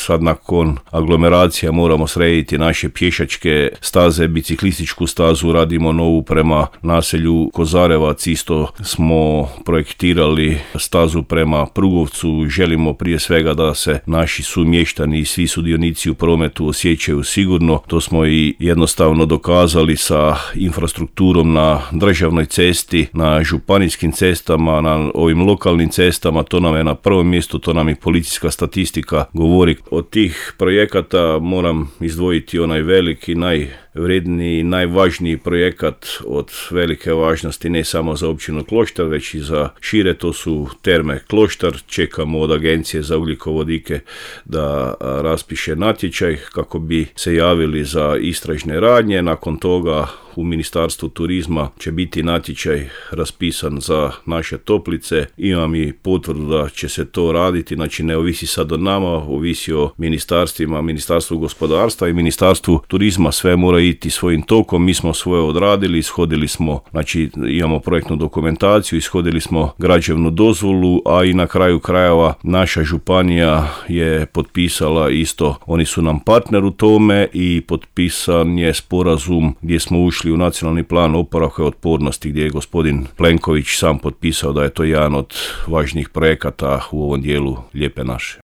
sad nakon aglomeracija moramo srediti naše pješačke staze, biciklističku stazu, radimo novu prema naselju Kozarevac, isto smo projektirali stazu prema Prugovcu, želimo prije svega da se naši sumještani i svi sudionici u prometu osjećaju sigurno. To smo i jednostavno dokazali sa infrastrukturom na državnoj cesti, na županijskim cestama, na ovim lokalnim cestama. To nam je na prvom mjestu, to nam i policijska statistika govori. Od tih projekata moram izdvojiti onaj veliki, najvredniji, najvažniji projekat od velike važnosti ne samo za općinu Kloštar, već i za šire, to su terme Kloštar. Čekamo od Agencije za ugljikovodike da raspiše natječaj kako bi se javili za istražne radnje. Nakon toga u Ministarstvu turizma će biti natječaj raspisan za naše toplice. Imam i potvrdu da će se to raditi, znači ne ovisi sad od nama, ovisi o ministarstvima, Ministarstvu gospodarstva i Ministarstvu turizma, sve mora iti svojim tokom. Mi smo svoje odradili, ishodili smo, znači imamo projektnu dokumentaciju, ishodili smo građevnu dozvolu, a i na kraju krajeva naša županija je potpisala isto, oni su nam partner u tome i potpisan je sporazum gdje smo ušli u nacionalni plan oporavka i otpornosti, gdje je gospodin Plenković sam potpisao da je to jedan od važnijih projekata u ovom dijelu Lijepe naše.